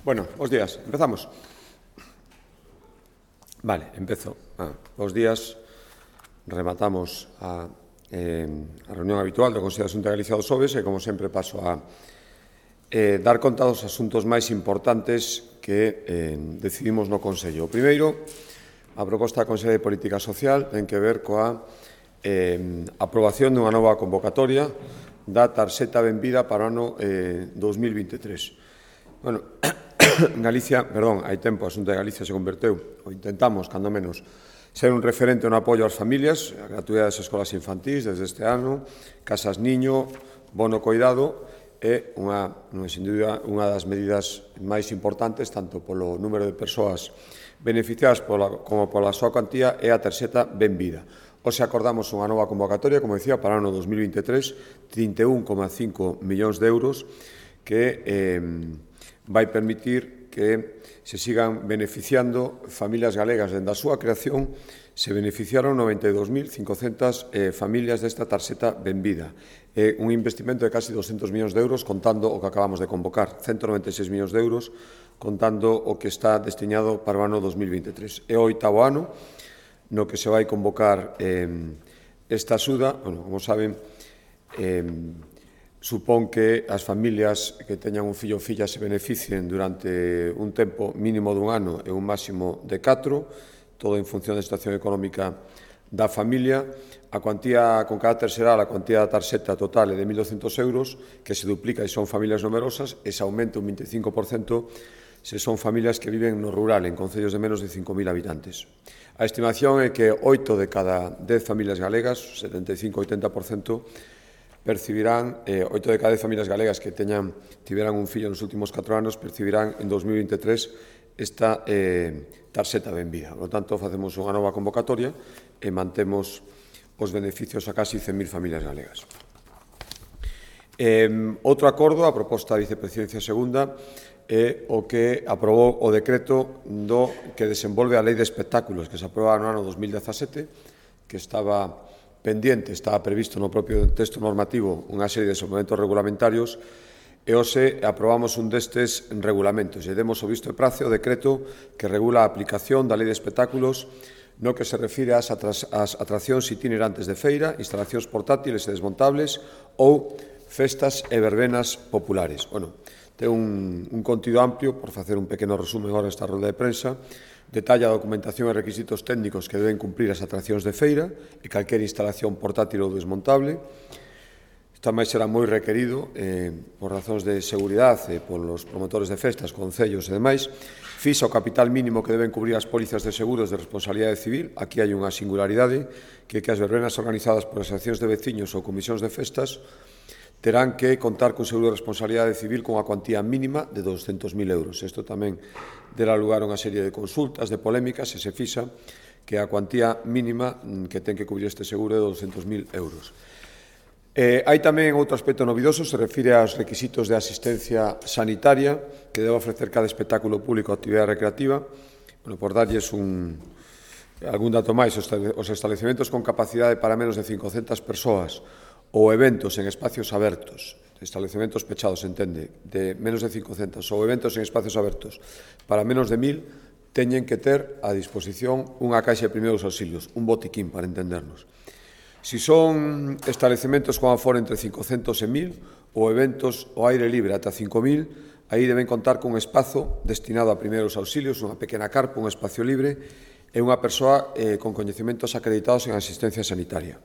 Bueno, bos días. Empezamos. Vale, empezo. Bos días. Rematamos a reunión habitual do Consello da Xunta de Galicia do Xoves e, como sempre, paso a dar conta dos asuntos máis importantes que decidimos no Consello. O primeiro, a proposta da Consello de Política Social ten que ver coa aprobación dunha nova convocatoria da tarxeta benvida para o ano 2023. Bueno, Galicia, hai tempo, a Xunta de Galicia se converteu, ou intentamos, cando menos, ser un referente no apoio ás familias, a gratuidade das escolas infantís desde este ano, casas niño, bono coidado, é sin dúbida, unha das medidas máis importantes, tanto polo número de persoas beneficiadas como pola súa cuantía, é a tarxeta benvida. Hoxe acordamos unha nova convocatoria, como decía, para o ano 2023, 31,5 millóns de euros, que vai permitir que se sigan beneficiando familias galegas. Dende a súa creación se beneficiaron 92.500 familias desta tarxeta benvida. É un investimento de casi 200 millóns de euros, contando o que acabamos de convocar, 196 millóns de euros, contando o que está destinado para o ano 2023. É o 8º ano no que se vai convocar esta axuda. Bueno, como saben, supón que as familias que teñan un fillo ou filla se beneficien durante un tempo mínimo dun ano e un máximo de 4, todo en función da situación económica da familia. A cuantía con carácter xeral, a cuantía da tarxeta total é de 1.200 euros, que se duplica e son familias numerosas, e se aumenta un 25% se son familias que viven no rural, en concellos de menos de 5.000 habitantes. A estimación é que 8 de cada 10 familias galegas, 75-80%, percibirán, 8 de cada 10 familias galegas que tiveran un fillo nos últimos 4 anos, percibirán en 2023 esta tarxeta benvida. Por lo tanto, facemos unha nova convocatoria e mantemos os beneficios a casi 100.000 familias galegas. Outro acordo, a proposta da Vicepresidencia Segunda, é o que aprobou o decreto que desenvolve a Lei de Espectáculos, que se aproba no ano 2017, que estaba pendiente, estaba previsto no propio texto normativo unha serie de suplementos regulamentarios, e hoxe aprobamos un destes regulamentos e demos o visto e prace o decreto que regula a aplicación da Lei de Espectáculos no que se refire ás atraccións itinerantes de feira, instalacións portátiles e desmontables ou festas e verbenas populares. Bueno, ten un contido amplio, por facer un pequeno resumen agora esta rolda de prensa. Detalla a documentación e requisitos técnicos que deben cumprir as atraccións de feira e calquera instalación portátil ou desmontable. Isto máis será moi requerido por razóns de seguridade polos promotores de festas, concellos e demais. Fixa o capital mínimo que deben cubrir as pólizas de seguros de responsabilidade civil. Aquí hai unha singularidade, que as verbenas organizadas por asociacións de veciños ou comisións de festas terán que contar cun seguro de responsabilidade civil con a cuantía mínima de 200.000 euros. Isto tamén dará lugar a unha serie de consultas, de polémicas, e se fixa que a cuantía mínima que ten que cubrir este seguro é de 200.000 euros. Hai tamén outro aspecto novidoso, se refire aos requisitos de asistencia sanitaria que debe ofrecer cada espectáculo público ou actividade recreativa. Bueno, por darlles algún dato máis, os establecementos con capacidade para menos de 500 persoas ou eventos en espacios abertos, establecementos pechados, entende, de menos de 500, ou eventos en espacios abertos para menos de 1.000, teñen que ter a disposición unha caixa de primeiros auxilios, un botiquín, para entendernos. Si son establecementos con aforo entre 500 e 1.000, ou eventos ao aire libre ata 5.000, aí deben contar cun espazo destinado a primeiros auxilios, unha pequena carpa, un espacio libre, e unha persoa con coñecementos acreditados en asistencia sanitaria.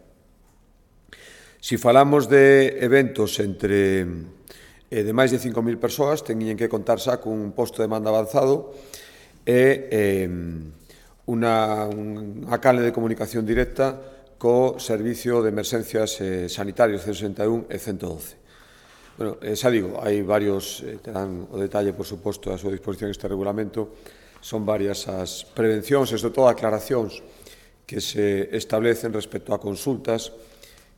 Si falamos de eventos de máis de 5.000 persoas, teñen que contar xa cun posto de mando avanzado e unha canle de comunicación directa co Servicio de Emerxencias Sanitarios 161 e 112. Bueno, xa digo, hai varios, terán o detalle, por suposto, a súa disposición este regulamento, son varias as prevencións e, sobre todo, aclaracións que se establecen respecto a consultas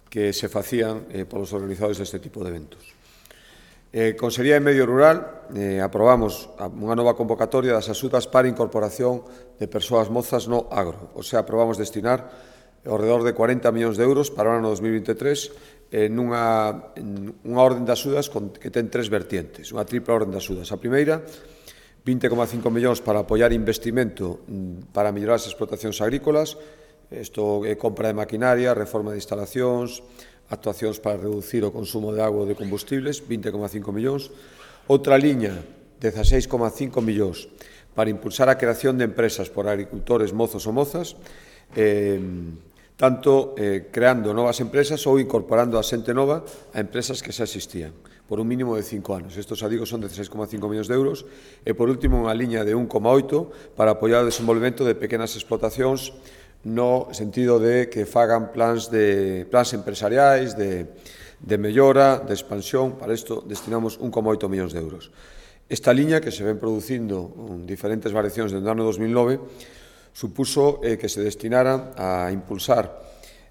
que se facían polos organizadores deste tipo de eventos. Consellería de Medio Rural, aprobamos unha nova convocatoria das axudas para incorporación de persoas mozas no agro. O sea, aprobamos destinar ao redor de 40 millóns de euros para o ano 2023 nunha orden de axudas que ten tres vertientes, unha tripla orden de axudas. A primeira 20,5 millóns para apoiar investimento para mellorar as explotacións agrícolas. Isto é compra de maquinaria, reforma de instalacións, actuacións para reducir o consumo de agua ou de combustibles, 20,5 millóns. Outra liña, 16,5 millóns, para impulsar a creación de empresas por agricultores mozos ou mozas, tanto creando novas empresas ou incorporando a xente nova a empresas que xa existían, por un mínimo de 5 anos. Estos, digo, son 16,5 millóns de euros. E, por último, unha liña de 1,8 para apoiar o desenvolvemento de pequenas explotacións no sentido de que fagan plans empresariais, de mellora, de expansión. Para isto destinamos 1,8 millóns de euros. Esta liña, que se ven producindo en diferentes variacións desde o ano 2009, supuso que se destinara a impulsar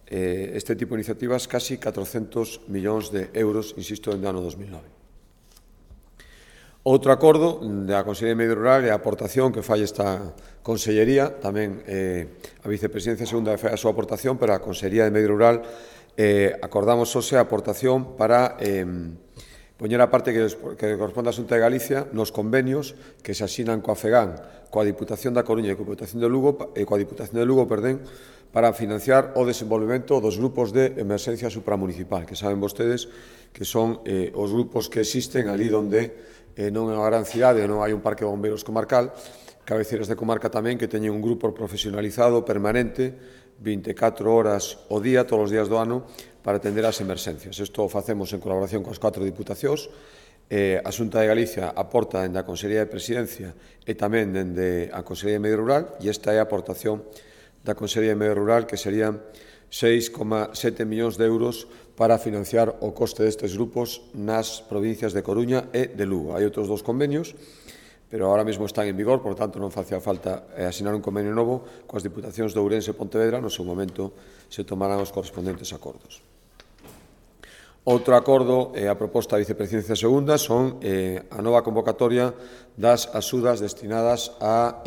este tipo de iniciativas casi 400 millóns de euros, insisto, desde o ano 2009. Outro acordo da Consellería de Medio Rural é a aportación que fai esta Consellería, tamén a Vicepresidencia Segunda fai a súa aportación, pero a Consellería de Medio Rural acordamos hoxe a aportación para poñer a parte que corresponde á Xunta de Galicia nos convenios que se asinan coa FEGAN, coa Diputación da Coruña e coa Diputación de Lugo, para financiar o desenvolvemento dos grupos de emerxencia supramunicipal, que saben vostedes que son os grupos que existen ali onde non é unha gran cidade, non hai un parque de bombeiros comarcal, cabeceiras de comarca tamén que teñen un grupo profesionalizado permanente 24 horas ao día, todos os días do ano, para atender as emerxencias. Isto o facemos en colaboración coas 4 diputacións. A Xunta de Galicia aporta dende a Consellería de Presidencia e tamén dende a Consellería de Medio Rural, e esta é a aportación da Consellería de Medio Rural, que serían 6,7 millóns de euros para financiar o coste destes grupos nas provincias de Coruña e de Lugo. Hai outros 2 convenios, pero ahora mesmo están en vigor, por tanto non facía falta asinar un convenio novo coas diputacións de Ourense e Pontevedra. No seu momento se tomarán os correspondentes acordos. Outro acordo, a proposta da Vicepresidencia Segunda, son a nova convocatoria das axudas destinadas a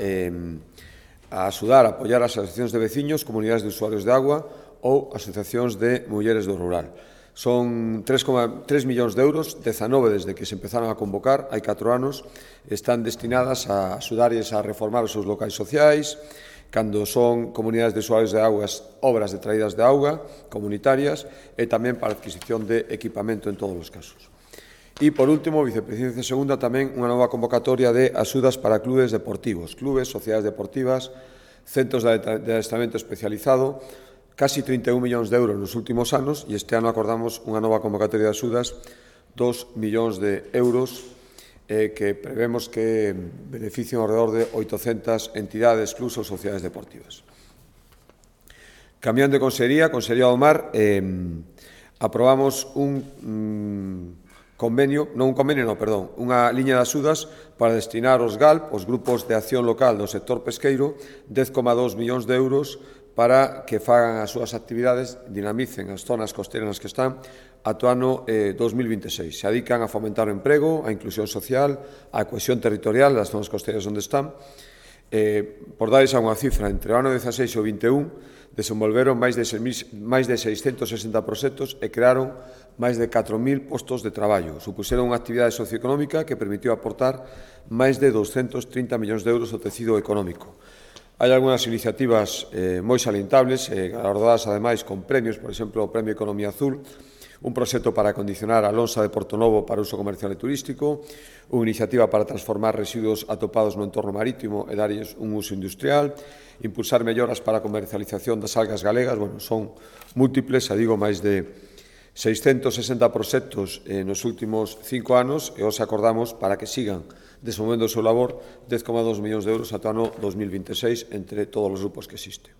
axudar a apoiar as asociacións de veciños, comunidades de usuarios de agua ou asociacións de mulleres do rural. Son 3,3 millóns de euros, 19 desde que se empezaron a convocar, hai 4 anos, están destinadas a axudarlles a reformar os seus locais sociais, cando son comunidades de usuarios de augas, obras de traídas de auga, comunitarias, e tamén para a adquisición de equipamento en todos os casos. E, por último, Vicepresidencia Segunda, tamén unha nova convocatoria de axudas para clubes deportivos, clubes, sociedades deportivas, centros de adestramento especializado, casi 31 millóns de euros nos últimos anos, e este ano acordamos unha nova convocatoria de axudas, 2 millóns de euros, que prevemos que beneficien alrededor de 800 entidades, clubs ou sociedades deportivas. Cambiando de Consellería, Consellería do Mar, aprobamos unha liña de axudas para destinar aos GALP, os grupos de acción local do sector pesqueiro, 10,2 millóns de euros para que fagan as súas actividades, dinamicen as zonas costeiras nas que están, ata o ano 2026. Se dedican a fomentar o emprego, a inclusión social, a cohesión territorial das zonas costeiras onde están. Por darles unha cifra, entre o ano 16 e o 21, desenvolveron máis de 660 proxectos e crearon máis de 4.000 postos de traballo. Supuseron unha actividade socioeconómica que permitiu aportar máis de 230 millóns de euros ao tecido económico. Hai algunhas iniciativas moi salientables, galardoadas ademais con premios, por exemplo, o Premio Economía Azul, un proxecto para acondicionar a lonxa de Portonovo para uso comercial e turístico, unha iniciativa para transformar residuos atopados no entorno marítimo e darlles un uso industrial, impulsar melloras para a comercialización das algas galegas. Bueno, son múltiples, digo, máis de 660 proxectos nos últimos 5 anos, e os acordamos para que sigan desenvolvendo o seu labor 10,2 millóns de euros ata o ano 2026 entre todos os grupos que existen.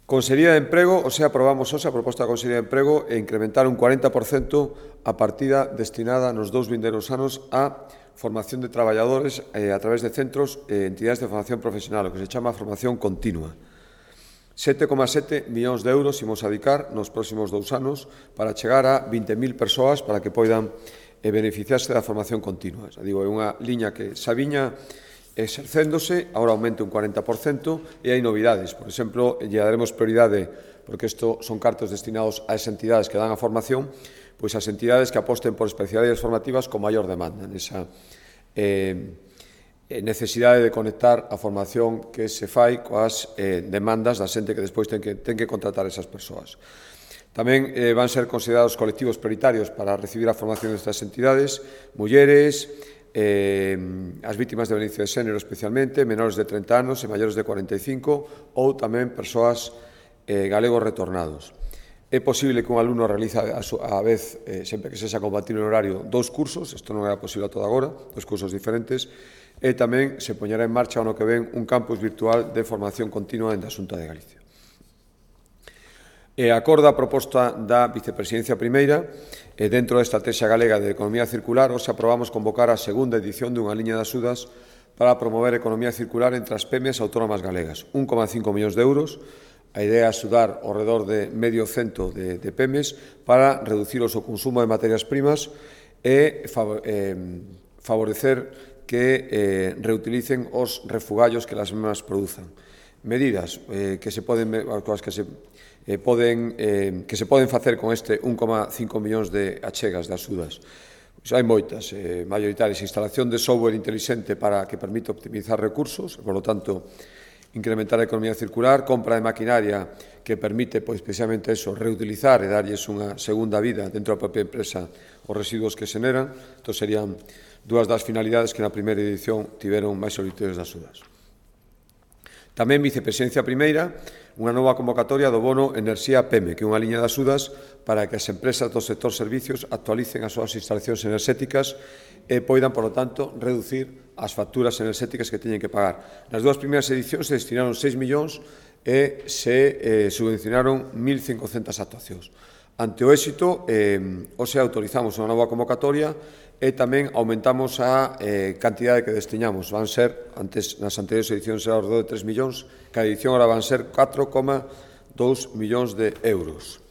Consellería de Emprego, aprobamos hoxe a proposta da Consellería de Emprego e incrementar un 40% a partida destinada nos 2 vindeiros anos a formación de traballadores a través de centros e entidades de formación profesional, o que se chama formación continua. 7,7 millóns de euros imos a dedicar nos próximos 2 anos para chegar a 20.000 persoas para que poidan beneficiarse da formación continua. Digo, é unha liña que xa viña exercéndose, agora aumenta un 40%, e hai novidades. Por exemplo, lle daremos prioridade, porque isto son cartos destinados a esas entidades que dan a formación, pois as entidades que aposten por especialidades formativas con maior demanda necesidade de conectar a formación que se fai coas demandas da xente que despois ten que contratar esas persoas. Tamén van ser considerados colectivos prioritarios para recibir a formación destas entidades, mulleres, as vítimas de violencia de xénero especialmente, menores de 30 anos e maiores de 45 ou tamén persoas galegos retornados. É posible que un alumno realice a vez, sempre que sexa compatible no horario, 2 cursos, isto non era posible a toda agora, 2 cursos diferentes, e tamén se poñerá en marcha ano que ven un campus virtual de formación continua en da Xunta de Galicia. E acorda a proposta da Vicepresidencia Primeira, dentro da Estrategia Galega de Economía Circular, hoxe aprobamos convocar a segunda edición dunha liña de axudas para promover a economía circular entre as PEMEs autónomas galegas, 1,5 millóns de euros. A idea é axudar ao redor de medio cento de PEMEs para reducir o seu consumo de materias primas e favorecer que reutilicen os refugallos que as mesmas produzan. Medidas que se poden facer con este 1,5 millóns de achegas de axudas. Hai moitas, maioritarias, instalación de software inteligente para que permita optimizar recursos, por lo tanto, incrementar a economía circular, compra de maquinaria que permite, precisamente eso, reutilizar e darlles unha segunda vida dentro da propia empresa os residuos que se generan. Isto serían dúas das finalidades que na primeira edición tiveron máis solicitudes de axudas. Tamén Vicepresidencia Primeira, unha nova convocatoria do bono Enerxía PEME, que é unha liña de axudas para que as empresas do sector servicios actualicen as súas instalacións enerxéticas e poidan, por lo tanto, reducir as facturas enerxéticas que teñen que pagar. Nas dúas primeiras edicións se destinaron 6 millóns e se subvencionaron 1.500 actuacións. Ante o éxito, hoxe autorizamos unha nova convocatoria e tamén aumentamos a cantidade que destiñamos. Van ser, nas anteriores edicións era ao redor de 3 millóns, cada edición ahora van ser 4,2 millóns de euros.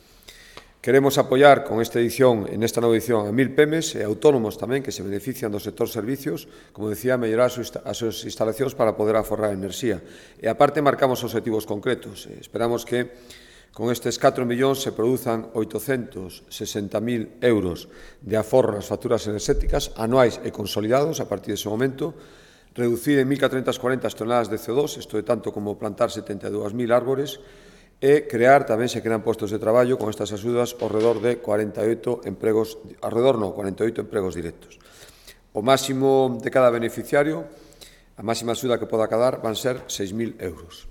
Queremos apoiar con esta edición, en esta nova edición, a 1.000 PEMEs e autónomos tamén que se benefician do sector servicios, como decía, mellorar as súas instalacións para poder aforrar enerxía. E aparte marcamos objetivos concretos. Esperamos que con estes 4 millóns se produzan 860.000 euros de aforro nas facturas enerxéticas anuais e consolidados a partir dese momento, reducir en 1.440 toneladas de CO2, isto é tanto como plantar 72.000 árbores, e crear, tamén se crean postos de traballo con estas axudas ao redor de 48 empregos directos. O máximo de cada beneficiario, a máxima axuda que poda cadar, van ser 6.000 euros.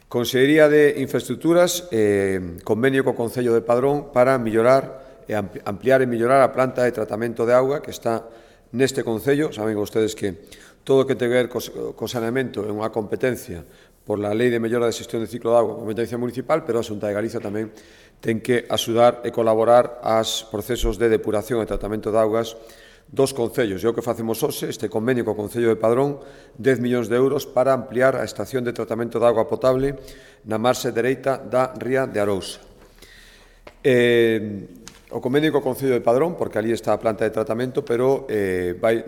Consellería de Infraestructuras, convenio co Concello de Padrón para ampliar e mellorar a planta de tratamento de auga que está neste Concello. Saben vostedes que todo o que ten que ver co saneamento é unha competencia por la Lei de Mellora de Xestión de Ciclo de Auga, competencia municipal, pero a Xunta de Galicia tamén ten que axudar e colaborar aos procesos de depuración e tratamento de augas dos concellos. E o que facemos hoxe, este convenio co Concello de Padrón, 10 millóns de euros para ampliar a estación de tratamento de auga potable na marxe dereita da ría de Arousa. O convenio co Concello de Padrón, porque ali está a planta de tratamento, pero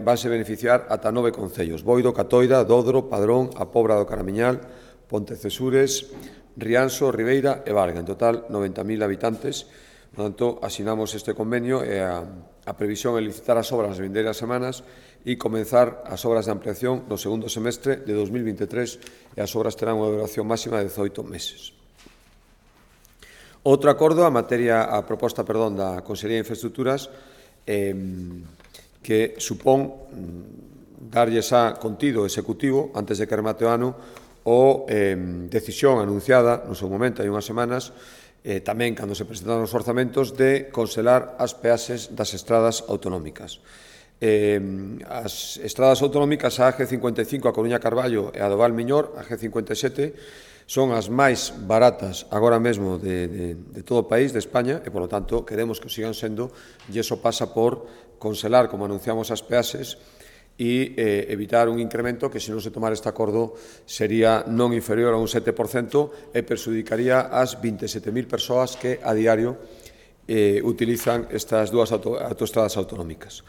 vanse beneficiar ata 9 concellos: Boiro, Catoira, Dodro, Padrón, a Pobra do Caramiñal, Pontecesures, Rianxo, Ribeira e Varga. En total, 90.000 habitantes. Por tanto, asinamos este convenio e a previsión é licitar as obras nas vindeiras semanas e comenzar as obras de ampliación no segundo semestre de 2023 e as obras terán unha duración máxima de 18 meses. Outro acordo, a proposta da Consellería de Infraestructuras, que supón darlle xa contido executivo antes de que remate o ano ou decisión anunciada no seu momento, hai unhas semanas, tamén cando se presentaron os orzamentos, de congelar as peaxes das estradas autonómicas. As estradas autonómicas, a G55 a Coruña Carballo e a do Val Miñor, a G57, son as máis baratas agora mesmo de todo o país, de España, e, polo tanto, queremos que o sigan sendo, e iso pasa por congelar, como anunciamos, as peaxes e evitar un incremento que, se non se tomara este acordo, sería non inferior a un 7% e perxudicaría as 27.000 persoas que a diario utilizan estas dúas autoestradas autonómicas.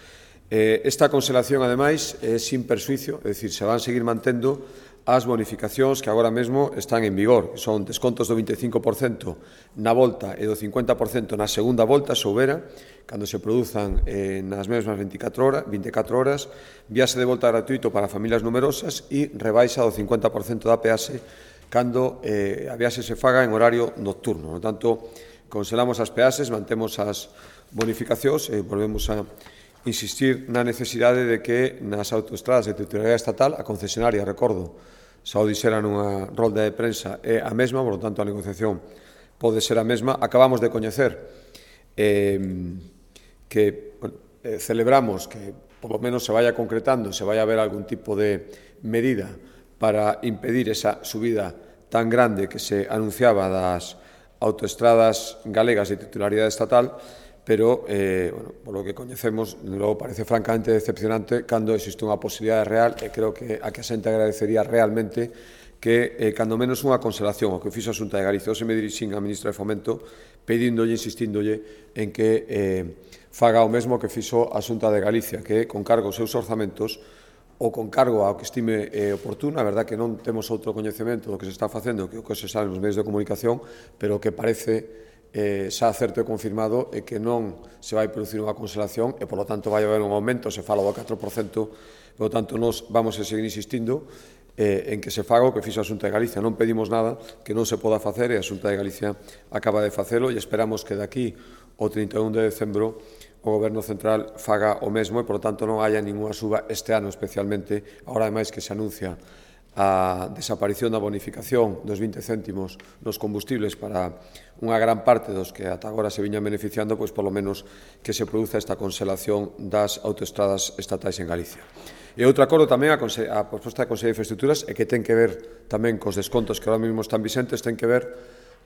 Esta conxelación, ademais, é sin persuicio, é dicir, se van seguir mantendo as bonificacións que agora mesmo están en vigor, que son descontos do 25% na volta e do 50% na segunda volta, se houbera, cando se produzan nas mesmas 24 horas, viaxe de volta gratuito para familias numerosas e rebaixa do 50% da peaxe cando a viaxe se faga en horario nocturno. No tanto, conselamos as peaxes, mantemos as bonificacións e volvemos a insistir na necesidade de que nas autoestradas de titularidade estatal, a concesionaria, recordo, xa o dixera nunha rolda de prensa, é a mesma, por lo tanto a negociación pode ser a mesma. Acabamos de coñecer que celebramos que por lo menos se vaya concretando, se vaya a ver algún tipo de medida para impedir esa subida tan grande que se anunciaba das autoestradas galegas de titularidade estatal, pero, por lo que coñecemos, logo parece francamente decepcionante cando existe unha posibilidade real e creo que a que a xente agradecería realmente que, cando menos unha consolación, o que fixo a Xunta de Galicia. Hoxe me dirixín á ministra de Fomento pedíndolle, insistíndolle en que faga o mesmo que fixo a Xunta de Galicia, que con cargo aos seus orzamentos ou con cargo ao que estime oportuno. A verdad que non temos outro coñecemento do que se está facendo que o que se sabe nos medios de comunicación, pero que parece xa certo e confirmado é que non se vai producir unha consolación e, polo tanto, vai haber un aumento, se fala do 4%, polo tanto, nós vamos a seguir insistindo en que se faga o que fixo a Xunta de Galicia. Non pedimos nada que non se poda facer e a Xunta de Galicia acaba de facelo e esperamos que daqui ao 31 de decembro o Goberno Central faga o mesmo e, polo tanto, non haya ninguna suba este ano, especialmente, agora, ademais, que se anuncia a desaparición da bonificación dos 20 céntimos nos combustibles para unha gran parte dos que ata agora se viñan beneficiando, pois polo menos que se produza esta conselación das autoestradas estatais en Galicia. E outro acordo tamén, a proposta da Consellería de Infraestructuras, e que ten que ver tamén cos descontos que agora mesmo están vicentes, ten que ver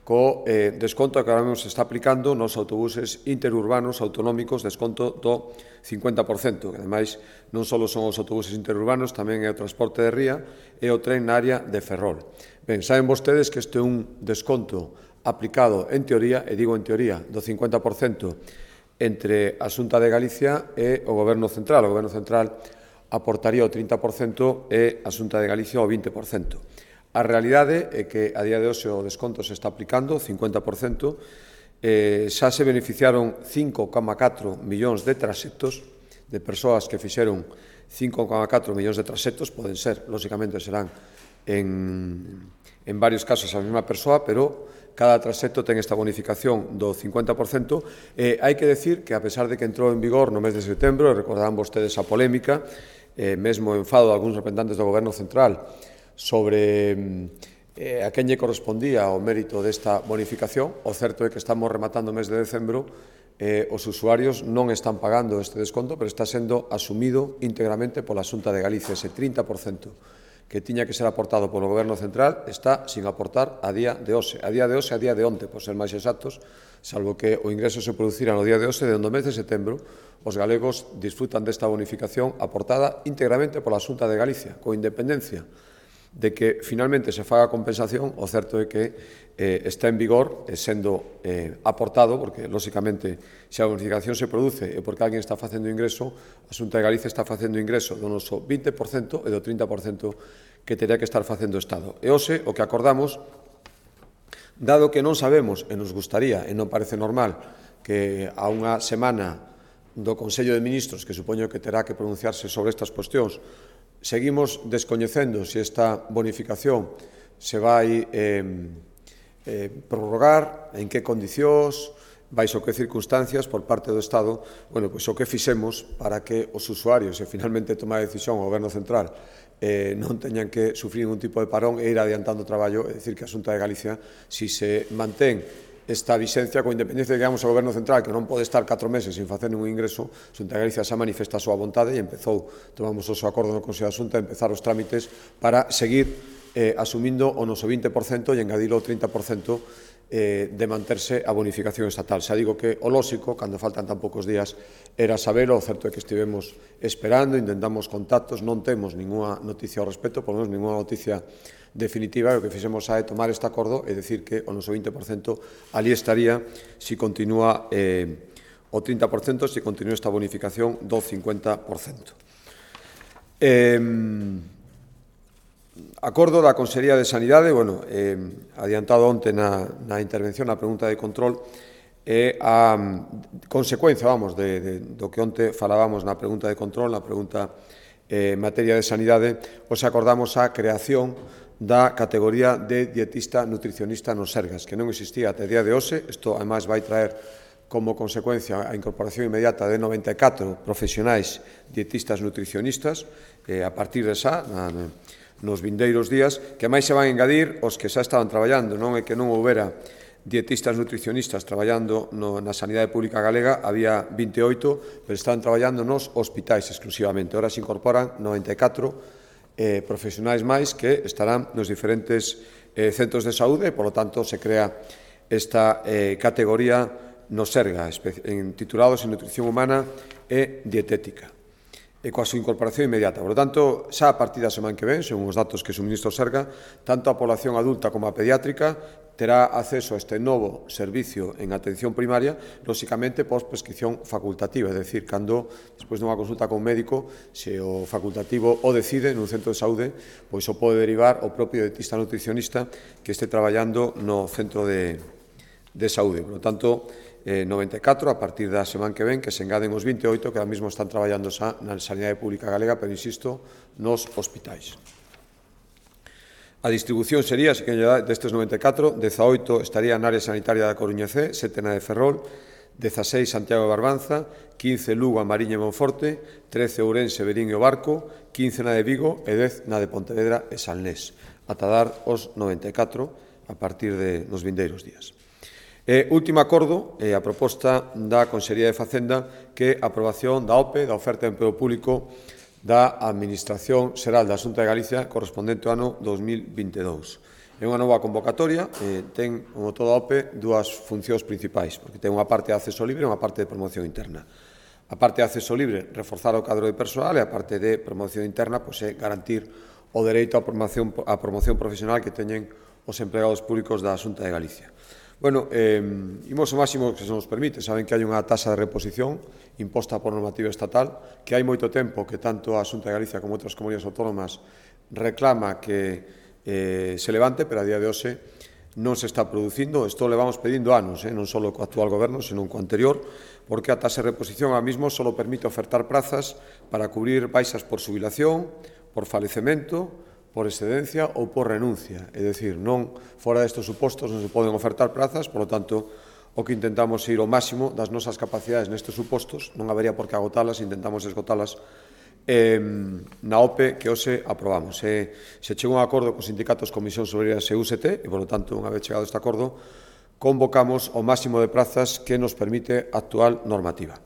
co desconto que ahora mesmo se está aplicando nos autobuses interurbanos autonómicos, desconto do 50%, que ademais non só son os autobuses interurbanos, tamén é o transporte de ría e o tren na área de Ferrol. Ben, saben vostedes que este é un desconto aplicado en teoría, e digo en teoría, do 50% entre a Xunta de Galicia e o Goberno Central. O Goberno Central aportaría o 30% e a Xunta de Galicia o 20%. A realidade é que a día de hoxe o desconto se está aplicando, 50%, xa se beneficiaron 5,4 millóns de traxectos, de persoas que fixeron 5,4 millóns de traxectos, poden ser, lóxicamente serán en varios casos a mesma persoa, pero cada traxecto ten esta bonificación do 50%. Hai que decir que, a pesar de que entrou en vigor no mes de setembro, e recordarán vostedes a polémica, mesmo o enfado de algúns representantes do Goberno Central, sobre a quen lle correspondía o mérito desta bonificación. O certo é que estamos rematando o mes de decembro, os usuarios non están pagando este desconto, pero está sendo asumido íntegramente pola Xunta de Galicia. Ese 30% que tiña que ser aportado polo Goberno Central está sin aportar a día de hoxe. A día de hoxe, a día de onte, por ser máis exactos, salvo que o ingreso se producira no día de hoxe, dende o mes de setembro, os galegos disfrutan desta bonificación aportada íntegramente pola Xunta de Galicia, con independencia de que finalmente se faga compensación. O certo é que está en vigor sendo aportado, porque, lóxicamente, se a bonificación se produce e porque alguén está facendo ingreso, a Xunta de Galicia está facendo ingreso do noso 20% e do 30% que teria que estar facendo o Estado. E hoxe o que acordamos, dado que non sabemos, e nos gustaría, e non parece normal, que a unha semana do Consello de Ministros, que supoño que terá que pronunciarse sobre estas cuestións, seguimos descoñecendo se esta bonificación se vai prorrogar, en que condicións, baixo que circunstancias por parte do Estado. Bueno, pois o que fixemos para que os usuarios, e finalmente toma a decisión o Goberno Central, non teñan que sufrir ningún tipo de parón e ir adiantando o traballo, é dicir, que a Xunta de Galicia, si se mantén esta vixencia, con independencia de que digamos ao Goberno Central que non pode estar 4 meses sin facer ningún ingreso, a Xunta de Galicia xa manifesta a súa vontade e empezou, tomamos o seu acordo no Consello da Xunta, a empezar os trámites para seguir asumindo o noso 20% e engadilo o 30% de manterse a bonificación estatal. Xa digo que o lóxico, cando faltan tan poucos días, era sabelo. O certo é que estivemos esperando, intentamos contactos, non temos ninguna noticia ao respecto, por lo menos ninguna noticia definitiva. O que fixemos é tomar este acordo e decir que o noso 20% ali estaría se continúa o 30%, se continúa esta bonificación do 50%. acordo da Consellería de Sanidade, adiantado onte na intervención, na pregunta de control, é a consecuencia, do que onte falábamos na pregunta de control, na pregunta en materia de sanidade, acordamos a creación da categoría de dietista nutricionista nos Sergas, que non existía até día de hoxe. Isto, ademais, vai traer como consecuencia a incorporación inmediata de 94 profesionais dietistas nutricionistas a partir de xa, nos vindeiros días, que máis se van engadir os que xa estaban traballando. Non é que non houbera dietistas nutricionistas traballando na sanidade pública galega, había 28, pero estaban traballando nos hospitais exclusivamente. Ahora se incorporan 94 profesionais máis que estarán nos diferentes centros de saúde e, polo tanto, se crea esta categoría no Serga, titulados en Nutrición Humana e Dietética, e coa súa incorporación inmediata. Por lo tanto, xa a partir da semana que ven, según os datos que suministra o Serga, tanto a población adulta como a pediátrica terá acceso a este novo servicio en atención primaria, lóxicamente, pos prescripción facultativa, é dicir, cando, despois dunha consulta con un médico, se o facultativo o decide nun centro de saúde, pois o pode derivar o propio dietista nutricionista que este traballando no centro de saúde. Por lo tanto, 94 a partir da semana que ven, que se engaden os 28 que ahora mesmo están traballando xa na sanidade pública galega, pero, insisto, nos hospitais. A distribución sería, destes 94, 18 estaría na área sanitaria da Coruña C, 7 na de Ferrol, 16 Santiago de Barbanza, 15 Lugo, a Mariña e Monforte, 13 Ourense, Verín e o Barco, 15 na de Vigo e 10 na de Pontevedra e Salnés, ata dar os 94 a partir dos vindeiros días. Último acordo, a proposta da Consellería de Facenda, que a aprobación da OPE, da Oferta de Emprego Público da Administración Xeral da Xunta de Galicia correspondente ao ano 2022. É unha nova convocatoria, ten, como toda a OPE, dúas funcións principais, porque ten unha parte de acceso libre e unha parte de promoción interna. A parte de acceso libre, reforzar o cadro de persoal, e a parte de promoción interna, é garantir o dereito á promoción profesional que teñen os empregados públicos da Xunta de Galicia. Imos o máximo que se nos permite. Saben que hai unha taxa de reposición imposta por normativa estatal, que hai moito tempo que tanto a Xunta de Galicia como outras comunidades autónomas reclama que se levante, pero a día de hoxe non se está producindo. Isto levamos pedindo anos, non só co actual goberno, senón co anterior, porque a taxa de reposición ahora mesmo só permite ofertar prazas para cubrir baixas por xubilación, por falecemento, por excedencia ou por renuncia. É dicir, non fora destes supostos non se poden ofertar prazas, por lo tanto, o que intentamos ir ao máximo das nosas capacidades nestes supostos, non habería por que agotalas, intentamos esgotalas na OPE que hoxe aprobamos. Se chegou a un acordo cos sindicatos Comisións Obreiras e UGT, e, por lo tanto, unha vez chegado este acordo, convocamos o máximo de prazas que nos permite a actual normativa.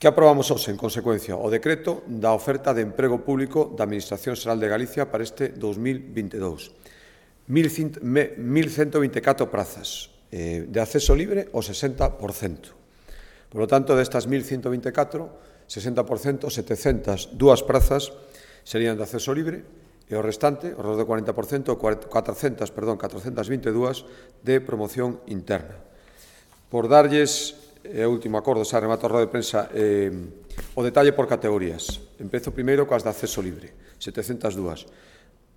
Que aprobamos hoxe, en consecuencia? O decreto da oferta de emprego público da Administración Xeral de Galicia para este 2022. 1.124 prazas de acceso libre o 60%. Por lo tanto, destas 1.124, 60%, 702 prazas serían de acceso libre e o restante, o resto do 40%, 422 de promoción interna. Por darlles o último acordo, xa remato a roda de prensa, o detalle por categorías. Empezo primeiro coas de acceso libre, 702.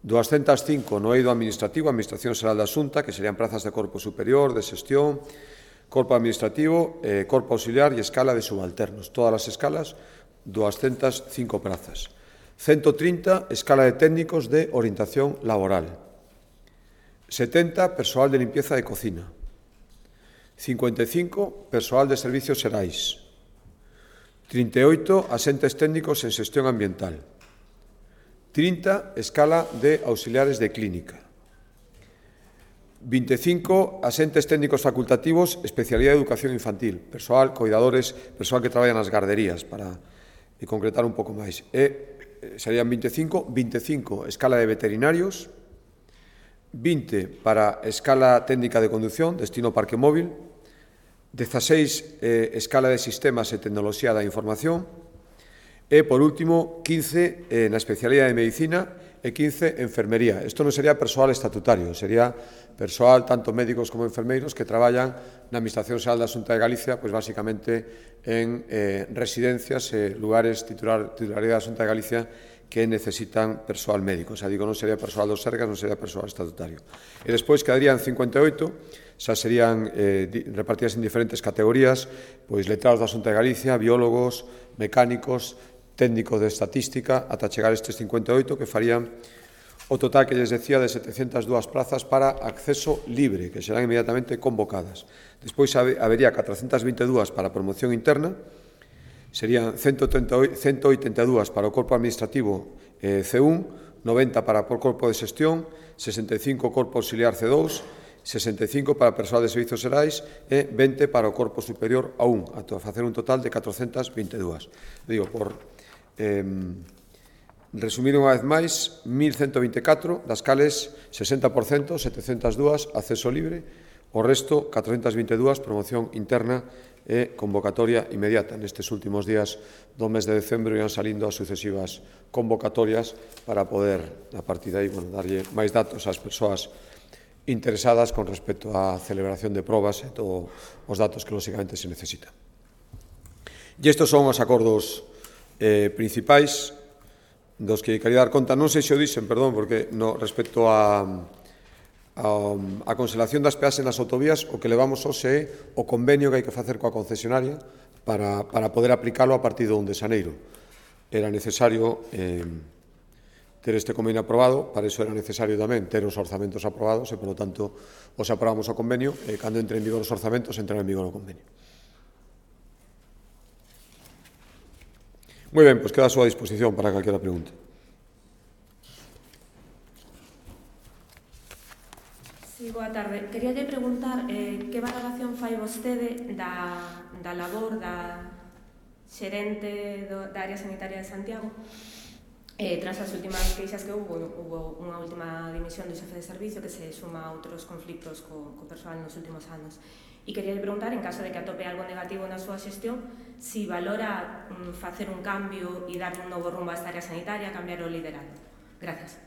205 no eido administrativo, Administración Xeral da Xunta, que serían prazas de corpo superior, de xestión, corpo administrativo, corpo auxiliar e escala de subalternos. Todas as escalas, 205 prazas. 130, escala de técnicos de orientación laboral. 70, persoal de limpieza de cocina. 55, persoal de servicios xerais. 38, asentes técnicos en xestión ambiental. 30, escala de auxiliares de clínica. 25, asentes técnicos facultativos, especialidade de educación infantil, persoal, coidadores, persoal que traballa nas garderías, para concretar un pouco máis. Serían 25, escala de veterinarios, 20 para escala técnica de conducción, destino parque móvil, 16 escala de sistemas e tecnoloxía da información e, por último, 15 na especialidade de medicina e 15 enfermería. Isto non sería persoal estatutario, sería persoal, tanto médicos como enfermeiros, que traballan na Administración Xeral da Xunta de Galicia, pois basicamente en residencias e lugares titularidade da Xunta de Galicia que necesitan persoal médico. Xa digo, non sería persoal do Sergas, non sería persoal estatutario. E despois quedarían 58, xa serían repartidas en diferentes categorías, pois letrados da Xunta de Galicia, biólogos, mecánicos, técnico de estatística, ata chegar estes 58, que farían o total que lles decía de 702 plazas para acceso libre, que serán inmediatamente convocadas. Despois habería 422 para promoción interna, serían 182 para o corpo administrativo C1, 90 para o corpo de xestión, 65 corpo auxiliar C2, 65 para persoal de servizos xerais e 20 para o corpo superior a 1, a facer un total de 422. Digo, por resumir unha vez máis, 1.124, das cales 60%, 702, acceso libre, o resto, 422, promoción interna e convocatoria inmediata. Nestes últimos días do mes de decembro ian salindo as sucesivas convocatorias para poder, a partir de aí, darlle máis datos ás persoas interesadas con respecto á celebración de probas e todos os datos que, lógicamente, se necesitan. E estes son os acordos principais dos que quería dar conta. Non sei se o dixen, perdón, porque respecto a conselación das peaxes nas autovías, o que levamos hoxe é o convenio que hai que facer coa concesionaria para poder aplicalo a partir do 1 de xaneiro. Era necesario ter este convenio aprobado, para iso era necesario tamén ter os orzamentos aprobados e, polo tanto, os aprobamos o convenio e, cando entre en vigor os orzamentos, entrará en vigor o convenio. Moi ben, pois queda a súa disposición para calquera pregunta. Sí, boa tarde. Queríalle preguntar que valoración fai vostede da labor da xerente da área sanitaria de Santiago tras as últimas queixas que hubo unha última dimisión do xefe de servicio que se suma a outros conflictos co persoal nos últimos anos. E quería preguntar, en caso de que atope algo negativo na súa xestión, si valora facer un cambio e darle un novo rumbo a esta área sanitaria, cambiar o liderado. Gracias.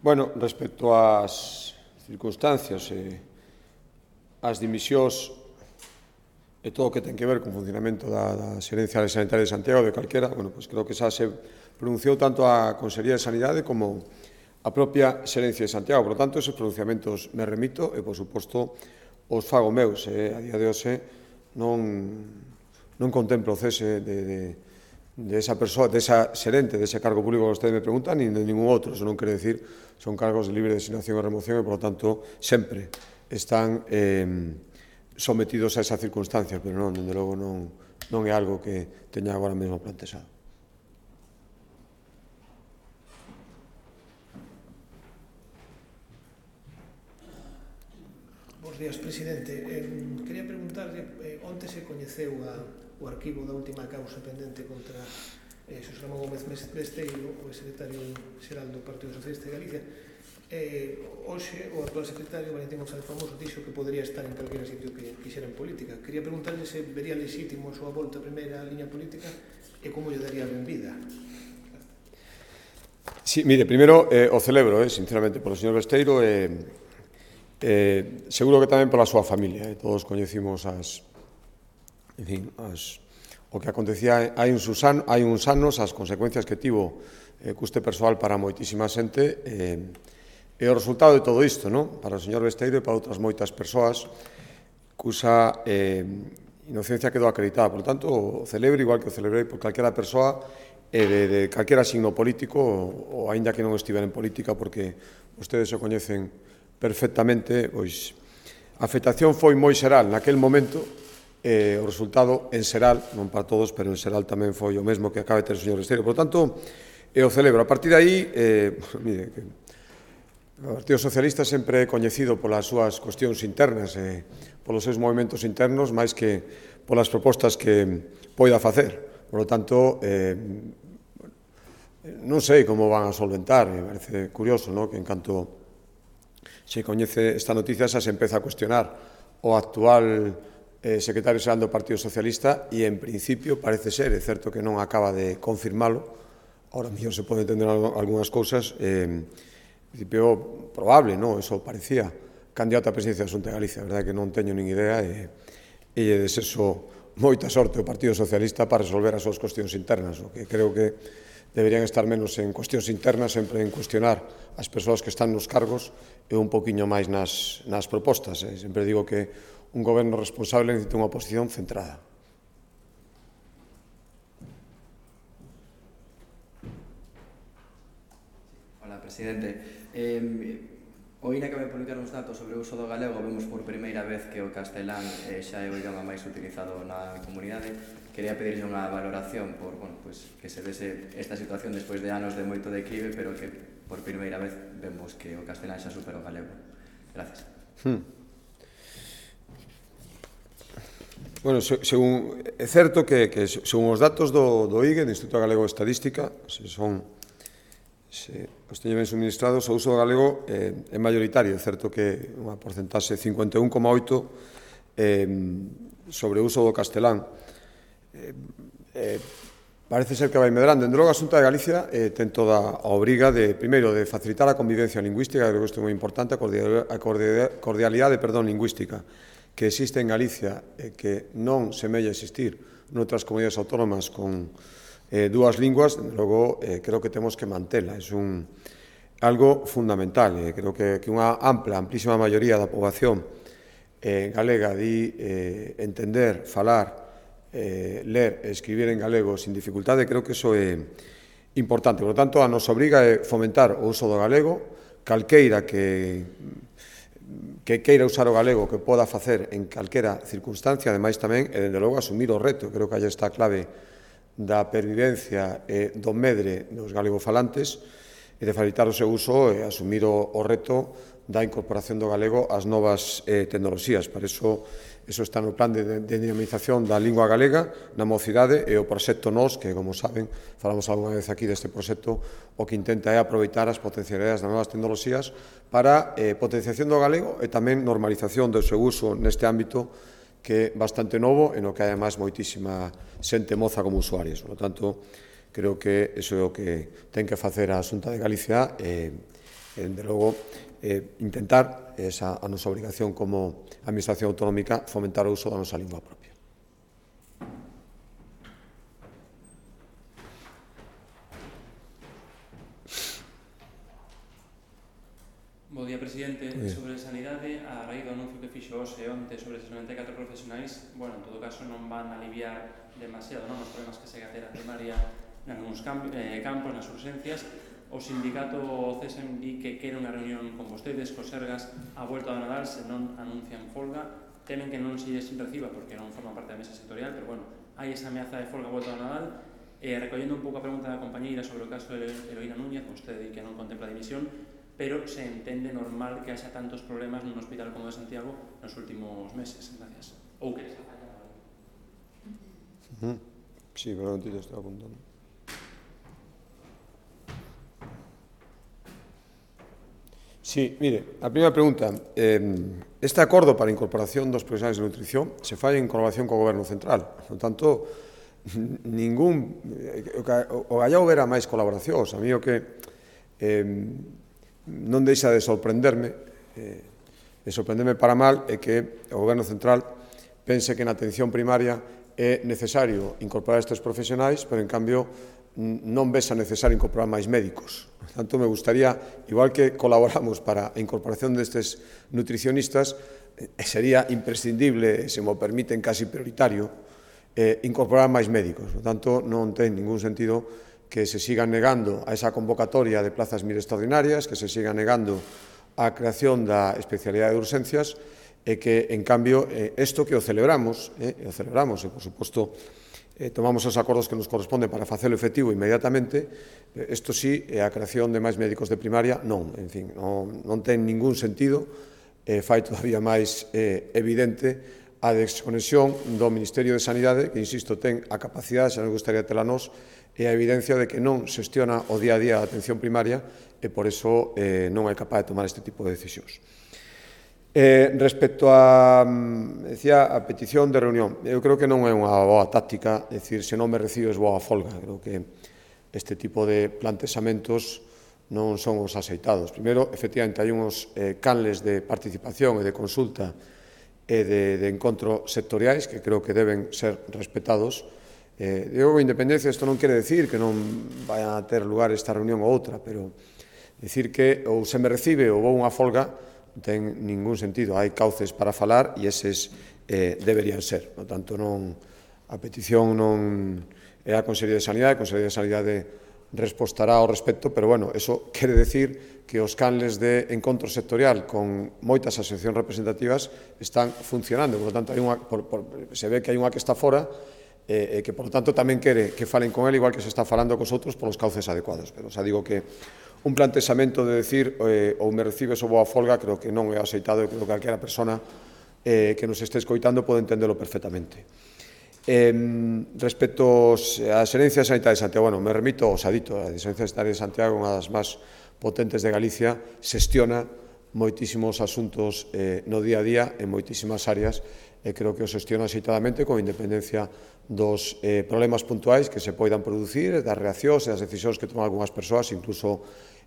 Bueno, respecto ás circunstancias e ás dimisións e todo o que ten que ver con o funcionamento da Xerencia Sanitaria de Santiago, de calquera, bueno, pois creo que xa se pronunciou tanto a Consellería de Sanidade como a propia Xerencia de Santiago. Por lo tanto, esos pronunciamentos me remito e, por suposto, os fago meus. A día de hoxe non contemplo o cese de esa persoa, de esa xerente, de ese cargo público que vostede me pregunta, nin de ningún outro. Eso non quere decir, son cargos de libre designación e remoción e, por lo tanto, sempre están sometidos a esa circunstancia, pero non, dende logo, non é algo que teña agora mesmo plantexado. Bos días, presidente. Quería preguntarle, onte se coñeceu o arquivo da última causa pendente contra Xosé Ramón Gómez Besteiro, o secretario xeral do Partido Socialista de Galicia. Hoxe, o actual secretario, Valentín González Famoso, dixo que podría estar en calquera sitio que quixera en política. Quería preguntarle se vería lexítimo a súa volta a primeira liña política e como lle daría a benvida. Sí, mire, primeiro o celebro, sinceramente, polo señor Besteiro seguro que tamén pola súa familia. Todos coñecimos o que acontecía hai uns anos, as consecuencias que tivo custe persoal para moitísima xente e o resultado de todo isto, para o señor Besteiro e para outras moitas persoas cusa inocencia quedou acreditada. Por tanto, o celebro igual que o celebrei por calquera persoa de calquera signo político ou aínda que non estivera en política, porque vostedes o coñecen perfectamente, pois a afectación foi moi xeral naquel momento, o resultado en xeral, non para todos, pero en xeral tamén foi o mesmo que acaba de ter o señor Besteiro. Por tanto, o celebro. A partir de aí, mire, o Partido Socialista sempre é coñecido polas súas cuestións internas e polos seus movimentos internos máis que polas propostas que poida facer. Por lo tanto, non sei como van a solventar. Me parece curioso que en canto se coñece esta noticia xa se empeza a cuestionar o actual secretario xeral do Partido Socialista e, en principio, parece ser, é certo que non acaba de confirmalo, ahora mellor se pode entender algunhas cousas, en principio probable, non? Eso parecía candidato a presidencia da Xunta de Galicia, a verdade que non teño nin idea e lle deseso moita sorte ao Partido Socialista para resolver as súas cuestións internas, o que creo que deberían estar menos en cuestións internas, sempre en cuestionar as persoas que están nos cargos e un poquinho máis nas propostas. Sempre digo que un goberno responsable necesita unha oposición centrada. Hola, presidente. O INE acaba de publicar uns datos sobre o uso do galego. Vemos por primeira vez que o castelán xa é o idioma máis utilizado na comunidade. Quería pedirle unha valoración por que se dese esta situación despois de anos de moito declive, pero que por primeira vez vemos que o castelán xa supera o galego. Gracias. Bueno, é certo que según os datos do IGE, do Instituto Galego de Estadística, se os teño ben suministrados, o uso do galego é maioritario. É certo que unha porcentaxe 51,8 sobre o uso do castelán. Parece ser que vai medrando. Dende logo, a Xunta de Galicia ten toda a obriga de, primeiro, de facilitar a convivencia lingüística, creo que isto é moi importante, a cordialidade lingüística que existe en Galicia e que non semella existir noutras comunidades autónomas con dúas linguas, logo creo que temos que mantela. É algo fundamental. Creo que unha amplísima maioría da poboación galega di entender, falar, ler e escribir en galego sin dificultade. Creo que iso é importante. Por lo tanto, a nos obriga é fomentar o uso do galego. Calqueira que queira usar o galego, que poda facer en calquera circunstancia, ademais tamén, e dende logo asumir o reto. Creo que aí está a clave da pervivencia e do medre dos galegofalantes e de facilitar o seu uso e asumir o reto da incorporación do galego ás novas tecnoloxías. Para iso está no plan de dinamización da lingua galega na mocidade e o proxecto NOS, que, como saben, falamos algunha vez aquí deste proxecto, o que intenta é aproveitar as potencialidades das novas tecnoloxías para potenciación do galego e tamén normalización do seu uso neste ámbito que é bastante novo e no que hai además moitísima xente moza como usuarios. Por lo tanto, creo que iso é o que ten que facer a Xunta de Galicia e, dende logo, intentar a nosa obrigación como Administración Autonómica fomentar o uso da nosa lingua propia. Bo día, presidente. Sobre sanidade, a raíz do anuncio que fixo hoxe onte sobre os 94 profesionais, en todo caso non van a aliviar demasiado os problemas que segue a ter a primaria en algúns campos, nas urgencias. O sindicato CESEM di que quere unha reunión con vostedes, cos Sergas, a volta do Nadal, se non anuncian folga. Temen que non se lles reciba porque non forman parte da mesa sectorial, pero hai esa ameaza de folga a volta do Nadal. Recollendo un pouco a pregunta da compañeira sobre o caso de Eloína Núñez, vostede di que non contempla dimisión, pero se entende normal que haxa tantos problemas nun hospital como de Santiago nos últimos meses. Gracias. Ou que les ha fallado. Sí, pero non te estou apuntando. Sí, mire, a primeira pregunta. Este acordo para a incorporación dos profesionais de nutrición se fai en colaboración co Goberno Central. Por tanto, o gallao verá máis colaboracións. A mí o que non deixa de sorprenderme para mal é que o Goberno Central pense que na atención primaria é necesario incorporar estes profesionais, pero en cambio non ves a necesario incorporar máis médicos. Por tanto, me gustaría, igual que colaboramos para a incorporación destes nutricionistas, sería imprescindible, se mo permiten casi prioritario, incorporar máis médicos. Por tanto, non ten ningún sentido que se siga negando a esa convocatoria de plazas extraordinarias, que se siga negando a creación da especialidade de urxencias e que, en cambio, isto que o celebramos, e, por suposto, tomamos os acordos que nos corresponden para facelo efectivo inmediatamente, isto sí, a creación de máis médicos de primaria, non, en fin, non ten ningún sentido, fai todavía máis evidente a desconexión do Ministerio de Sanidade, que, insisto, ten a capacidade, xa nos gustaría tela nós, e a evidencia de que non xestiona o día a día a atención primaria e, por iso, non é capaz de tomar este tipo de decisións. Respecto a petición de reunión, eu creo que non é unha boa táctica, decir, se non me recibes, vou a folga. Creo que este tipo de plantexamentos non son os aceitados. Primeiro, efectivamente, hai uns canles de participación e de consulta e de encontro sectoriais que creo que deben ser respetados. Digo, independencia, isto non quere decir que non vai a ter lugar esta reunión ou outra, pero decir que ou se me recibe ou vou unha folga non ten ningún sentido. Hai cauces para falar e eses deberían ser. Por tanto, a petición non é a Consellería de Sanidade, a Consellería de Sanidade respostará ao respecto, pero, bueno, eso quere decir que os canles de encontro sectorial con moitas asociacións representativas están funcionando. Por lo tanto, se ve que hai unha que está fora e que, por lo tanto, tamén quere que falen con ele igual que se está falando cos outros polos cauces adecuados. Pero, xa digo que un plantexamento de decir ou me recibes ou vou a folga creo que non é aceitado e creo que calquera persona que nos este escoitando pode entendelo perfectamente. Respecto á Xerencia Sanitaria de Santiago, bueno, me remito ao Sadito. A Xerencia Sanitaria de Santiago, unha das máis potentes de Galicia, xestiona moitísimos asuntos no día a día en moitísimas áreas e creo que o xestiona axeitadamente con independencia dos problemas puntuais que se poidan producir, das reaccións e das decisións que toman algunhas persoas, incluso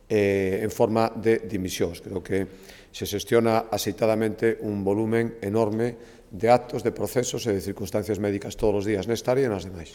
en forma de dimisións. Creo que se xestiona axeitadamente un volumen enorme de actos, de procesos e de circunstancias médicas todos os días nesta área e nas demais.